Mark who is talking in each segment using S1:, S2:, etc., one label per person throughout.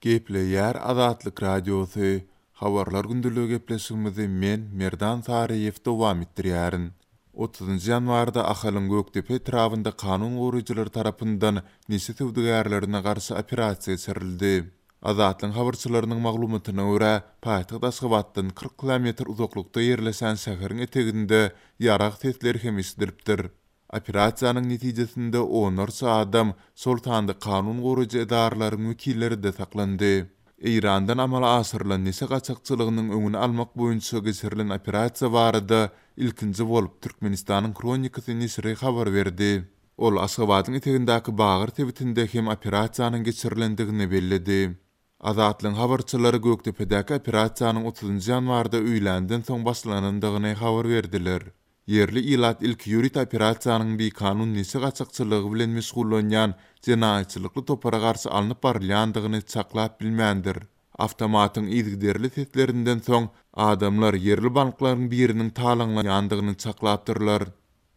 S1: Gepleýär Azatlyk Radiosy, Habarlar gündeligi gepleşigimizi men, Merdan Saryýew dowam etdirýärin. Otuzynjy ýanwarda Ahalyň Gökdepe etrabynda kanun goraýjylar tarapyndan neşe söwdagärlerine garşy operasiýa geçirildi. Azatlygyň habarçylarynyň maglumatyna görä, paýtagt Aşgabatdan 40 kilometr uzaklykda ýerleşen şäheriň eteginde ýarag sesleri hem eşidilipdir. Operasiýanyň netijesinde onlarça adam, şol sanda kanun goraýjy edaralaryň wekilleri-de saklandy. Eýrandan amala aşyrylan neşe gaçakçylygynyň öňüni almak boýunça geçirilen operasiýa barada ilkinji bolup Türkmenistanyň Hronikasy neşiri habar berdi. Ol Aşgabadyň etegindäki Bagyr sebitinde hem operasiýanyň geçirilendigini belledi. Azatlygyň habarçylary Gökdepedäki operasiýanyň otuzynjy ýanwarda öýländen soň başlanandygyny habar berdiler. Ýerli ilat ilki ýörite operasiýanyň bikanun neşe gaçakçylygy bilen meşgullanýan jenaýatçylykly topara garşy alnyp barylýandygyny çaklap bilmändir. Awtomatyň yzygiderli seslerinden soň, adamlar ýerli banklaryň biriniň talaňlanýandygyny çaklapdyrlar.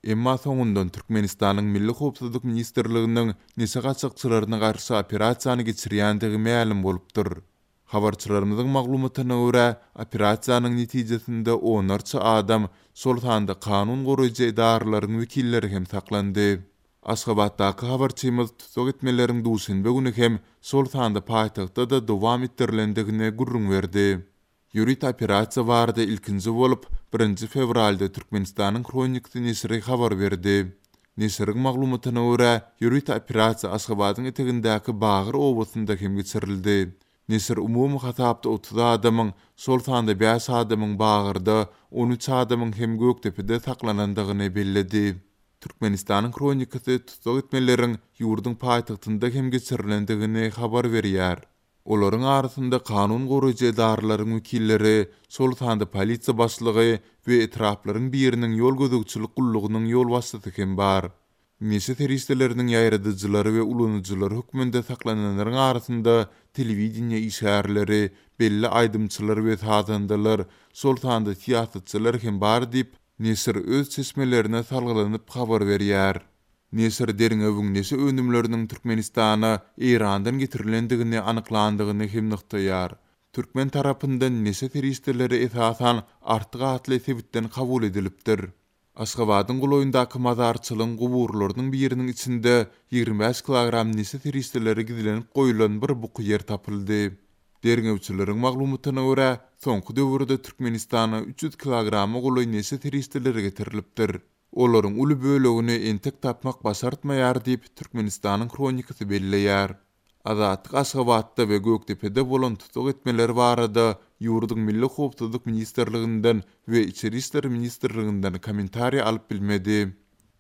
S1: Emma soňundan Türkmenistanyň Milli howpsuzlyk ministrliginiň neşe gaçakçylaryna garşy operasiýany geçirýändigi mälim bolupdyr. Habarçylarymyzyň maglumatyna görä, operasiýanyň netijesinde onlarça adam, şol sanda kanun goraýjy edaralaryň wekilleri hem saklandy. Aşgabatdaky habarçymyz tussag etmeleriň duşenbe güni hem, şol sanda paýtagtda-da dowam etdirilendigini gürrüň berdi. Ýörite operasiýa barada ilkinji bolup, birinji fewralda Türkmenistanyň Hronikasy neşiri habar berdi. Neşiriň maglumatyna görä, ýörite operasiýa Aşgabadyň etegindäki Bagyr obasynda hem geçirildi. Neşir umumy hasapda 30 adamyň, şol sanda bäş adamyň Bagyrda, 13 adamyň hem Gökdepede saklanandygyny belledi. Türkmenistanyň Hronikasy tussag etmeleriň ýurduň paýtagtynda hem geçirilendigini habar berýär. Olaryň arasynda kanun goraýjy edaralaryň wekilleri, şol sanda polisiýa başlygy we etraplaryň biriniň ýol gözegçilik gullugynyň ýolbaşçysy hem bar. Neşe serişdeleriniň ýaýradyjylary we ulanyjylary hökmünde saklananlaryň arasynda telewideniýe işgärleri, belli aýdymçylar we sazandalar, şol sanda syýasatçylar hem bar diýip, neşir öz çeşmelerine salgylanyp habar berýär. Neşir derňewiň neşe önümleriniň Türkmenistana Eýrandan getirilendigini anyklandygyny hem nygtaýar. Türkmen tarapyndan neşe serişdeleri esasan Artyk atly sebitden kabul edilipdir. Aşgabadyň golaýyndaky mazarçylygyň guburlarynyň biriniň içinde 25 kilogram neşe serişdeleri gizlenip goýlan bir buky ýer tapyldy. Derňewçileriň maglumatyna görä, soňky döwürde Türkmenistana 300 kilograma golaý neşe serişdeleri getirilipdir. Olaryň uly bölegini entek tapmak başartmaýar diýip, Türkmenistanyň Hronikasy belleýär. Azatlyk Aşgabatda we Gökdepede bolan tussag etmeler barada ýurduň Milli howpsuzlyk ministrliginden we Içeri işler ministrliginden kommentariý alyp bilmedi.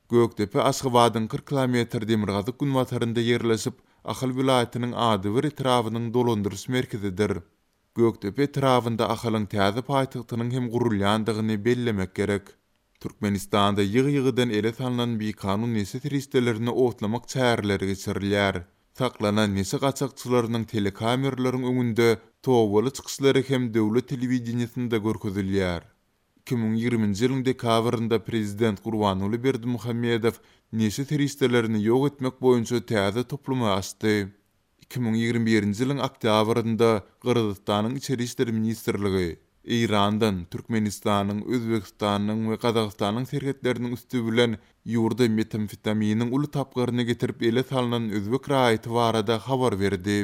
S1: Gökdepe Aşgabadyň 40 kilometr demirgazyk-günbatarynda ýerleşip, Ahal welaýatynyň adybir etrabynyň dolandyryş merkezidir. Gökdepe etrabynda Ahalyň täze paýtagtynyň hem gurulýandygyny bellemek gerek. Türkmenistanda ýygy-ýygydan ele salnan bikanun neşe serişdelerini otlamak çäreleri geçirilýär. Saklanan neşe gaçakçylarynyň telekameralaryň öňünde tobaly çykyşlary hem döwlet telewideniýesinde görkezilýär. 2020-nji ýylyň dekabrynda prezident Gurbanguly Berdimuhamedow neşe serişdelerini ýok etmek boýunça täze toplumy açdy. 2021-nji ýylyň oktýabrynda Gyrgyzystanyň Içeri işler ministrligi Eýrandan Türkmenistanyň, Özbegistanyň we Gazagystanyň serhetleriniň üsti bilen ýurda metamfetaminiň uly tapgyryny getirip ele salnan özbek raýaty barada habar berdi.